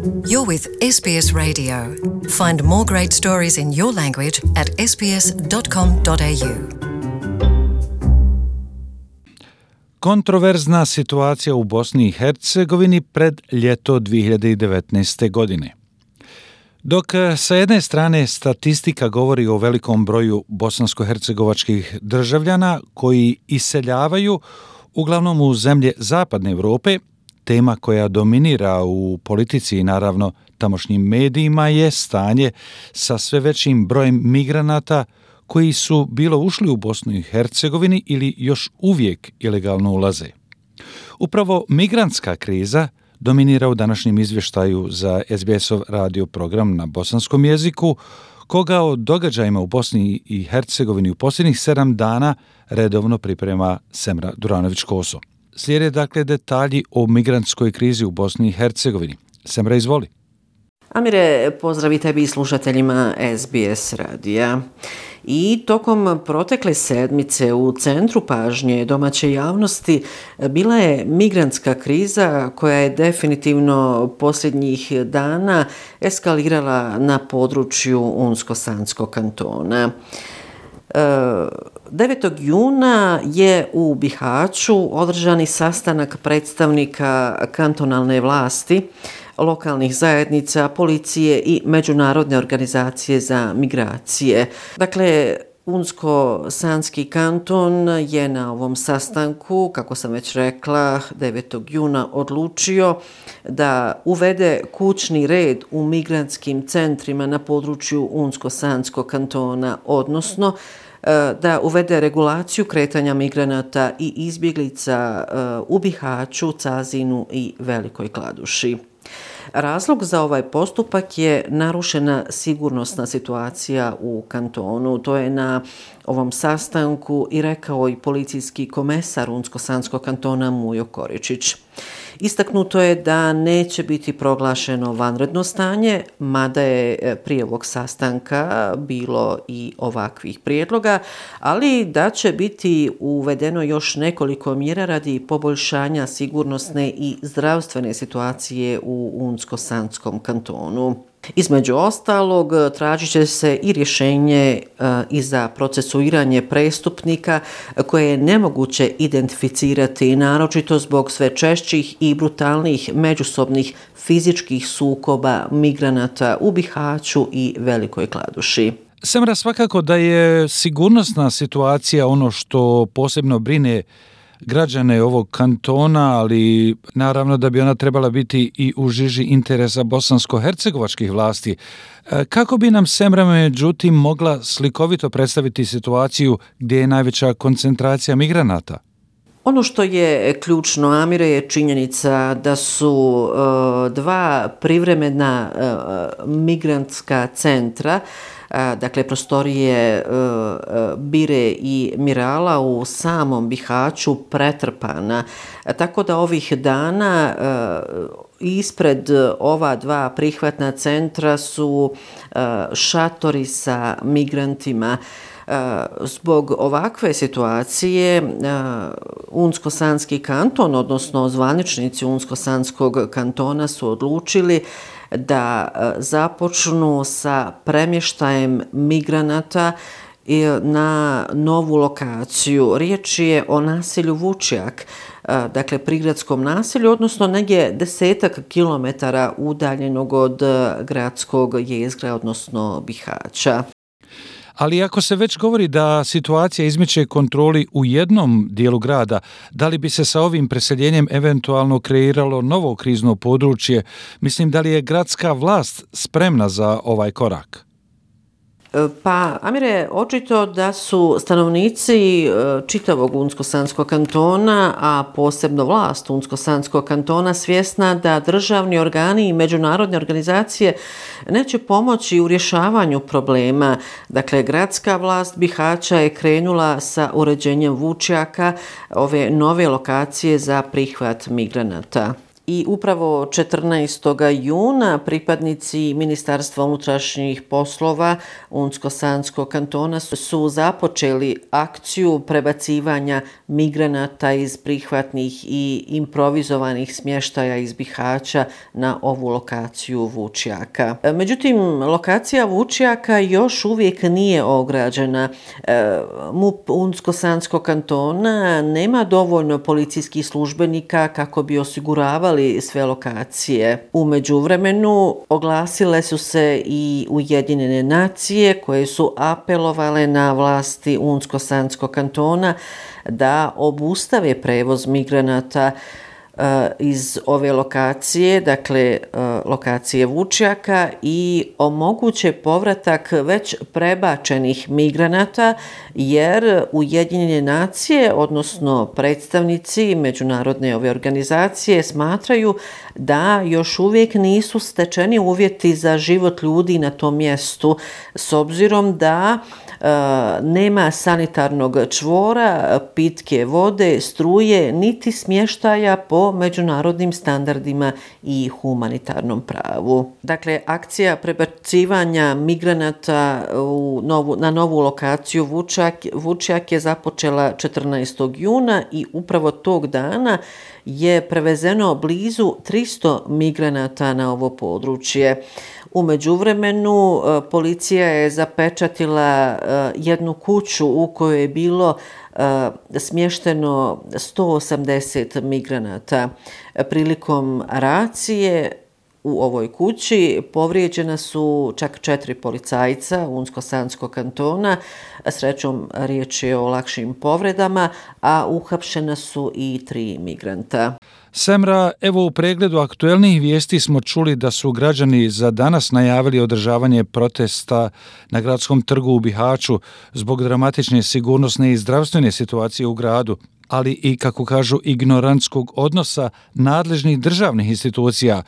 You're with SBS Radio. Find more great stories in your language at sbs.com.au. Kontroverzna situacija u Bosni i Hercegovini pred ljeto 2019. godine. Dok sa jedne strane statistika govori o velikom broju bosansko-hercegovačkih državljana koji iseljavaju uglavnom u zemlje zapadne Europe, tema koja dominira u politici i naravno tamošnjim medijima je stanje sa sve većim brojem migranata koji su bilo ušli u Bosnu i Hercegovini ili još uvijek ilegalno ulaze. Upravo migrantska kriza dominira u današnjem izvještaju za SBS-ov radio program na bosanskom jeziku, koga o događajima u Bosni i Hercegovini u posljednjih 7 dana redovno priprema Semra Duranović-Koso. Slijede dakle detalji o migrantskoj krizi u Bosni i Hercegovini. Semra, izvoli. Amire, pozdrav i tebi i slušateljima SBS radija. I tokom protekle sedmice u centru pažnje domaće javnosti bila je migrantska kriza koja je definitivno posljednjih dana eskalirala na području Unsko-Sanskog kantona. 9. juna je u Bihaću održani sastanak predstavnika kantonalne vlasti, lokalnih zajednica, policije i Međunarodne organizacije za migracije. Dakle, Unsko-Sanski kanton je na ovom sastanku, kako sam već rekla, 9. juna odlučio da uvede kućni red u migrantskim centrima na području Unsko-Sanskog kantona, odnosno da uvede regulaciju kretanja migranata i izbjeglica u Bihaću, Cazinu i Velikoj Kladuši. Razlog za ovaj postupak je narušena sigurnosna situacija u kantonu. To je na ovom sastanku i rekao i policijski komesar Unsko-Sanskog kantona Mujo Koričić. Istaknuto je da neće biti proglašeno vanredno stanje, mada je prije ovog sastanka bilo i ovakvih prijedloga, ali da će biti uvedeno još nekoliko mjera radi poboljšanja sigurnosne i zdravstvene situacije u Unsko-Sanskom kantonu. Između ostalog, tražit će se i rješenje i za procesuiranje prestupnika koje je nemoguće identificirati, naročito zbog sve češćih i brutalnih međusobnih fizičkih sukoba migranata u Bihaću i Velikoj Kladuši. Semra, svakako da je sigurnosna situacija ono što posebno brine građane ovog kantona, ali naravno da bi ona trebala biti i u žiži interesa bosansko-hercegovačkih vlasti. Kako bi nam Semra međutim mogla slikovito predstaviti situaciju gdje je najveća koncentracija migranata? Ono što je ključno, Amire, je činjenica da su dva privremena migrantska centra, dakle prostorije Bire i Mirala u samom Bihaću pretrpana. Tako da ovih dana ispred ova dva prihvatna centra su šatori sa migrantima. Zbog ovakve situacije Unsko-Sanski kanton, odnosno zvaničnici Unsko-Sanskog kantona su odlučili da započnu sa premještajem migranata na novu lokaciju. Riječ je o naselju Vučjak, dakle prigradskom naselju, odnosno negdje 10 kilometara udaljenog od gradskog jezgra, odnosno Bihaća. Ali ako se već govori da situacija izmiče kontroli u jednom dijelu grada, da li bi se sa ovim preseljenjem eventualno kreiralo novo krizno područje? Mislim, da li je gradska vlast spremna za ovaj korak? Pa, Amire, očito da su stanovnici čitavog Unsko-Sanskog kantona, a posebno vlast Unsko-Sanskog kantona svjesna da državni organi i međunarodne organizacije neće pomoći u rješavanju problema. Dakle, gradska vlast Bihaća je krenula sa uređenjem Vučjaka, ove nove lokacije za prihvat migranata. I upravo 14. juna pripadnici Ministarstva unutrašnjih poslova Unsko-Sanskog kantona su započeli akciju prebacivanja migranata iz prihvatnih i improvizovanih smještaja iz Bihaća na ovu lokaciju Vučjaka. Međutim, lokacija Vučjaka još uvijek nije ograđena. MUP Unsko-Sanskog kantona nema dovoljno policijskih službenika kako bi osiguravali sve lokacije. U međuvremenu oglasile su se i Ujedinjene nacije koje su apelovale na vlasti Unsko-Sanskog kantona da obustave prevoz migranata iz ove lokacije, dakle lokacije Vučjaka, i omoguće povratak već prebačenih migranata, jer Ujedinjene nacije, odnosno predstavnici međunarodne ove organizacije, smatraju da još uvijek nisu stečeni uvjeti za život ljudi na tom mjestu, s obzirom da nema sanitarnog čvora, pitke vode, struje, niti smještaja po međunarodnim standardima i humanitarnom pravu. Dakle, akcija prebacivanja migranata na novu lokaciju Vučjak je započela 14. juna i upravo tog dana je prevezeno blizu 300 migranata na ovo područje. U međuvremenu policija je zapečatila jednu kuću u kojoj je bilo smješteno 180 migranata. Prilikom racije u ovoj kući povrijeđena su čak 4 policajca Unsko-Sanskog kantona. Srećom, riječ je o lakšim povredama, a uhapšena su i 3 migranta. Semra, evo u pregledu aktuelnih vijesti smo čuli da su građani za danas najavili održavanje protesta na gradskom trgu u Bihaću zbog dramatične sigurnosne i zdravstvene situacije u gradu, ali i, kako kažu, ignorantskog odnosa nadležnih državnih institucija.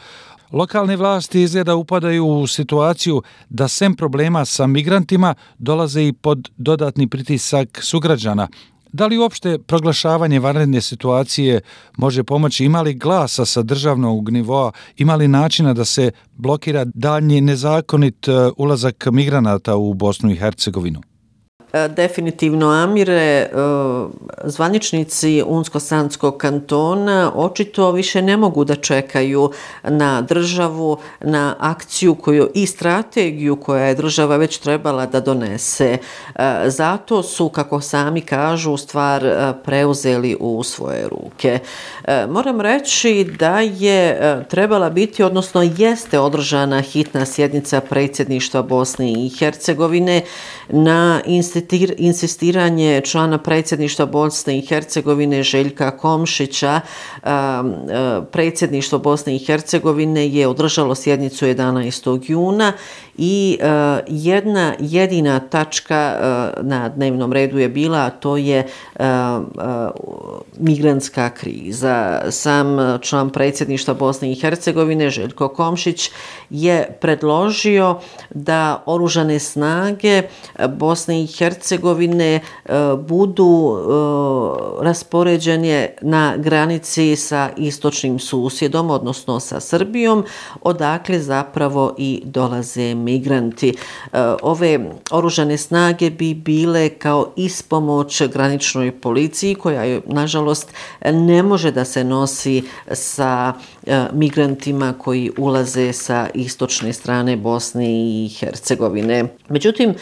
Lokalne vlasti izgleda upadaju u situaciju da sem problema sa migrantima dolaze i pod dodatni pritisak sugrađana. Da li uopšte proglašavanje vanredne situacije može pomoći? Ima li glasa sa državnog nivoa? Ima li načina da se blokira daljnji nezakonit ulazak migranata u Bosnu i Hercegovinu? Definitivno, Amire, zvaničnici Unsko-Sanskog kantona očito više ne mogu da čekaju na državu, na akciju i strategiju koja je država već trebala da donese. Zato su, kako sami kažu, stvar preuzeli u svoje ruke. Moram reći da je trebala biti, odnosno jeste održana hitna sjednica predsjedništva Bosne i Hercegovine na insistiranje člana predsjedništva Bosne i Hercegovine Željka Komšića. Predsjedništvo Bosne i Hercegovine je održalo sjednicu 11. juna i jedna jedina tačka na dnevnom redu je bila, a to je migrantska kriza. Sam član predsjedništva Bosne i Hercegovine Željko Komšić je predložio da oružane snage Bosne i Hercegovine budu raspoređene na granici sa istočnim susjedom, odnosno sa Srbijom, odakle zapravo i dolaze migranti. Ove oružane snage bi bile kao ispomoć graničnoj policiji, koja nažalost ne može da se nosi sa migrantima koji ulaze sa istočne strane Bosne i Hercegovine. Međutim,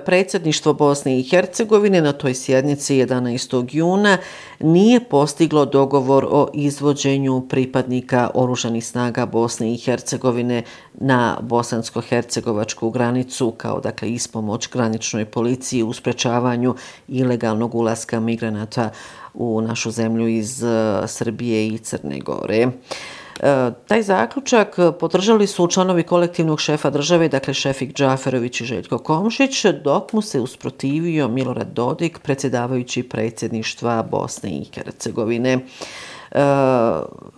predsjedništvo Bosne i Hercegovine na toj sjednici 11. juna nije postiglo dogovor o izvođenju pripadnika oružanih snaga Bosne i Hercegovine na bosansko-hercegovačku granicu kao, dakle, ispomoć graničnoj policiji u sprečavanju ilegalnog ulaska migranata u našu zemlju iz Srbije i Crne Gore. Taj zaključak podržali su članovi kolektivnog šefa države, dakle Šefik Džaferović i Željko Komšić, dok mu se usprotivio Milorad Dodik, predsjedavajući predsjedništva Bosne i Hercegovine.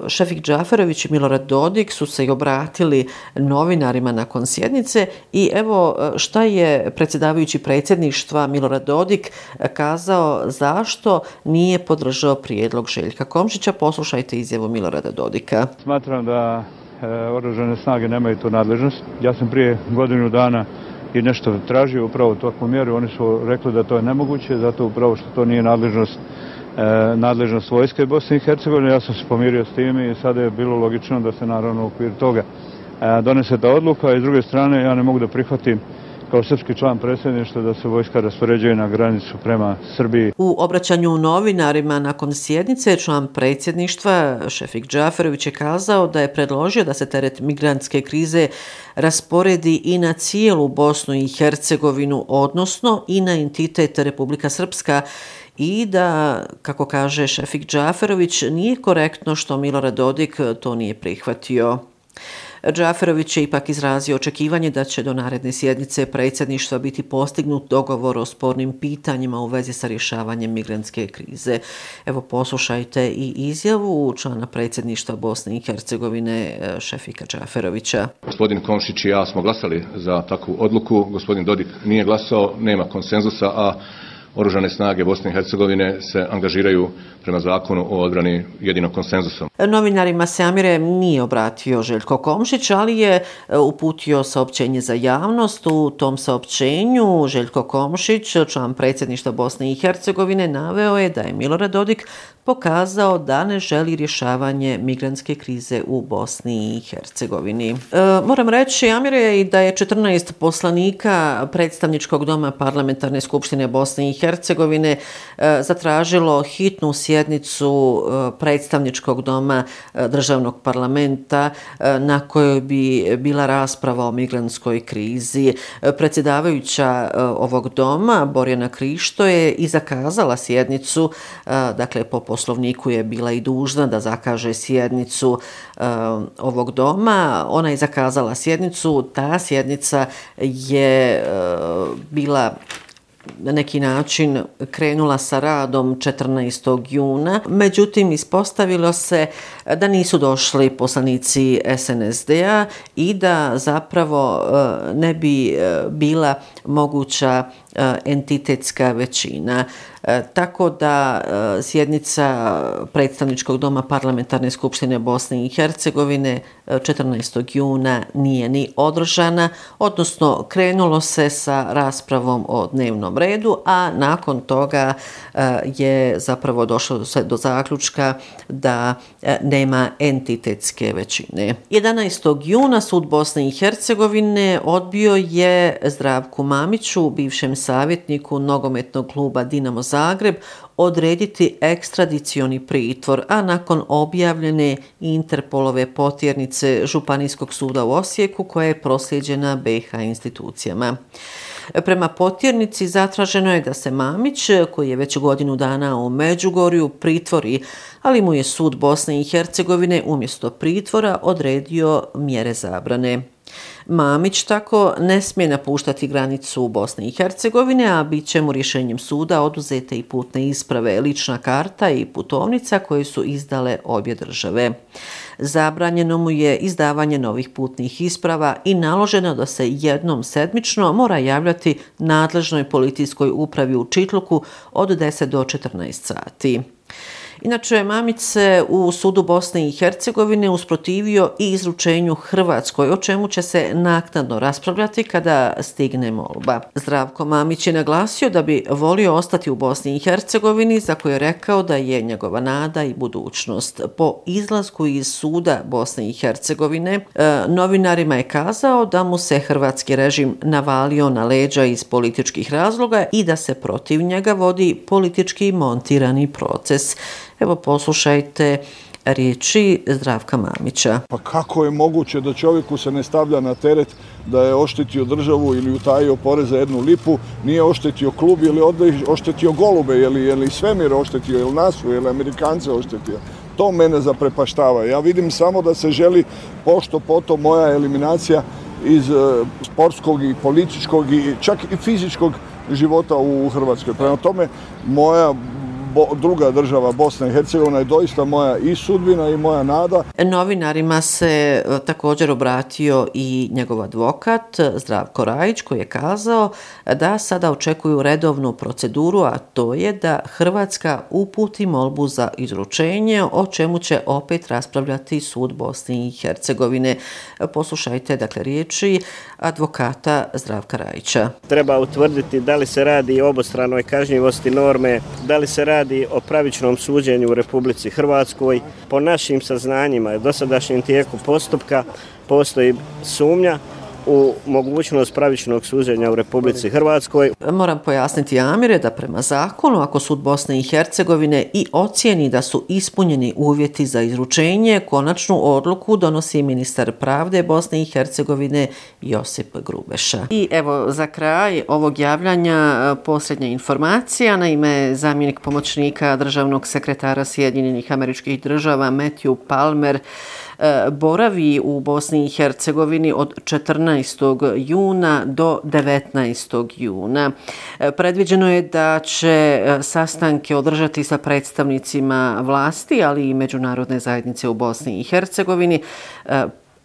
Šefik Džaferović i Milorad Dodik su se i obratili novinarima nakon sjednice i evo šta je predsjedavajući predsjedništva Milorad Dodik kazao zašto nije podržao prijedlog Željka Komšića. Poslušajte izjavu Milorada Dodika. Smatram da oružane snage nemaju tu nadležnost. Ja sam prije godinu dana i nešto tražio upravo takvu mjeru. Oni su rekli da to je nemoguće, zato upravo što to nije nadležnost vojske Bosne i Hercegovine. Ja sam se pomirio s tim i sada je bilo logično da se naravno u okviru toga donese ta odluka. I s druge strane ja ne mogu da prihvatim kao srpski član predsjedništva da se vojska raspoređuje na granicu prema Srbiji. U obraćanju novinarima nakon sjednice član predsjedništva Šefik Džaferović je kazao da je predložio da se teret migrantske krize rasporedi i na cijelu Bosnu i Hercegovinu, odnosno i na entitet Republika Srpska, i da, kako kaže Šefik Džaferović, nije korektno što Milorad Dodik to nije prihvatio. Džaferović je ipak izrazio očekivanje da će do naredne sjednice predsjedništva biti postignut dogovor o spornim pitanjima u vezi sa rješavanjem migrantske krize. Evo poslušajte i izjavu člana predsjedništva Bosne i Hercegovine Šefika Džaferovića. Gospodin Komšić i ja smo glasali za takvu odluku, gospodin Dodik nije glasao, nema konsenzusa, a Oružane snage Bosne i Hercegovine se angažiraju prema zakonu o odbrani jedino konsenzusom. Novinarima se Amire nije obratio Željko Komšić, ali je uputio saopćenje za javnost. U tom saopćenju Željko Komšić, član predsjedništva Bosne i Hercegovine, naveo je da je Milorad Dodik pokazao da ne želi rješavanje migrantske krize u Bosni i Hercegovini. Moram reći, Amire, i da je 14 poslanika predstavničkog doma Parlamentarne skupštine Bosne i Hercegovine zatražilo hitnu sjednicu predstavničkog doma državnog parlamenta na kojoj bi bila rasprava o migrantskoj krizi. Predsjedavajuća ovog doma, Borjana Krišto, je i zakazala sjednicu, dakle po poslovniku je bila i dužna da zakaže sjednicu ovog doma. Ona je zakazala sjednicu, ta sjednica je bila na neki način krenula sa radom 14. juna. Međutim, ispostavilo se da nisu došli poslanici SNSD-a i da zapravo ne bi bila moguća entitetska većina. Tako da sjednica predstavničkog doma Parlamentarne skupštine Bosne i Hercegovine 14. juna nije ni održana, odnosno krenulo se sa raspravom o dnevnom redu, a nakon toga je zapravo došlo se do zaključka da nema entitetske većine. 11. juna sud Bosne i Hercegovine odbio je Zdravku Mamiću, bivšem savjetniku nogometnog kluba Dinamo Zagreb, odrediti ekstradicioni pritvor, a nakon objavljene Interpolove potjernice Županijskog suda u Osijeku koja je proslijeđena BiH institucijama. Prema potjernici zatraženo je da se Mamić, koji je već godinu dana u Međugorju, pritvori, ali mu je sud Bosne i Hercegovine umjesto pritvora odredio mjere zabrane. Mamić tako ne smije napuštati granicu Bosne i Hercegovine, a bit će mu rješenjem suda oduzete i putne isprave, lična karta i putovnica koje su izdale obje države. Zabranjeno mu je izdavanje novih putnih isprava i naloženo da se jednom sedmično mora javljati nadležnoj policijskoj upravi u Čitluku od 10 do 14 sati. Inače, Mamić se u sudu Bosne i Hercegovine usprotivio i izručenju Hrvatskoj, o čemu će se naknadno raspravljati kada stigne molba. Zdravko Mamić je naglasio da bi volio ostati u Bosni i Hercegovini, za koju je rekao da je njegova nada i budućnost. Po izlasku iz suda Bosne i Hercegovine, novinarima je kazao da mu se hrvatski režim navalio na leđa iz političkih razloga i da se protiv njega vodi politički montirani proces. Evo poslušajte riječi Zdravka Mamića. Pa kako je moguće da čovjeku se ne stavlja na teret da je oštetio državu ili utajio porez za 1 lipu, nije oštetio klub ili oštetio golube, je li svemir oštetio, je li nasu, je li Amerikance oštetio. To mene zaprepaštava. Ja vidim samo da se želi pošto potom moja eliminacija iz sportskog i političkog i čak i fizičkog života u Hrvatskoj. Prema tome, moja druga država Bosna i Hercegovina je doista moja i sudbina i moja nada. Novinarima se također obratio i njegov advokat Zdravko Rajić, koji je kazao da sada očekuju redovnu proceduru, a to je da Hrvatska uputi molbu za izručenje, o čemu će opet raspravljati sud Bosne i Hercegovine. Poslušajte dakle riječi advokata Zdravka Rajića. Treba utvrditi da li se radi o obostranoj kažnjivosti norme, da li se radi o pravičnom suđenju u Republici Hrvatskoj. Po našim saznanjima i dosadašnjem tijeku postupka postoji sumnja u mogućnost pravičnog suđenja u Republici Hrvatskoj. Moram pojasniti, Amire, da prema zakonu, ako sud Bosne i Hercegovine i ocijeni da su ispunjeni uvjeti za izručenje, konačnu odluku donosi ministar pravde Bosne i Hercegovine Josip Grubeša. I evo, za kraj ovog javljanja posljednja informacija. Naime, zamjenik pomoćnika državnog sekretara Sjedinjenih Američkih Država Matthew Palmer boravi u Bosni i Hercegovini od 14. juna do 19. juna. Predviđeno je da će sastanke održati sa predstavnicima vlasti, ali i međunarodne zajednice u Bosni i Hercegovini.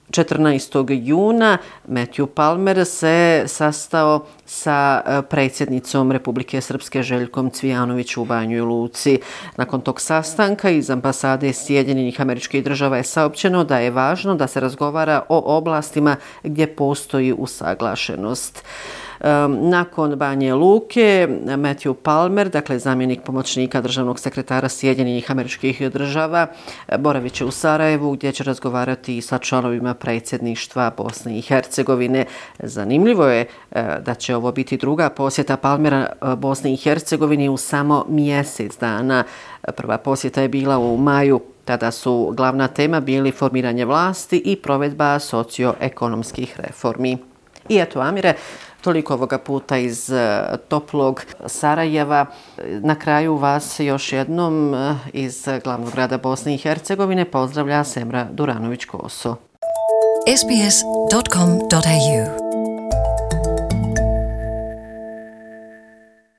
14. juna Matthew Palmer se sastao sa predsjednicom Republike Srpske Željkom Cvijanović u Banjoj Luci. Nakon tog sastanka iz ambasade Sjedinjenih Američkih Država je saopćeno da je važno da se razgovara o oblastima gdje postoji usaglašenost. Nakon Banje Luke, Matthew Palmer, dakle zamjenik pomoćnika državnog sekretara Sjedinjenih Američkih Država, boravit će u Sarajevu gdje će razgovarati sa članovima predsjedništva Bosne i Hercegovine. Zanimljivo je da će ovo biti druga posjeta Palmera Bosni i Hercegovini u samo mjesec dana. Prva posjeta je bila u maju. Tada su glavna tema bili formiranje vlasti i provedba socioekonomskih reformi. I eto, Amire, toliko ovoga puta iz toplog Sarajeva. Na kraju vas još jednom iz glavnog grada Bosne i Hercegovine pozdravlja Semra Duranović-Koso. sbs.com.au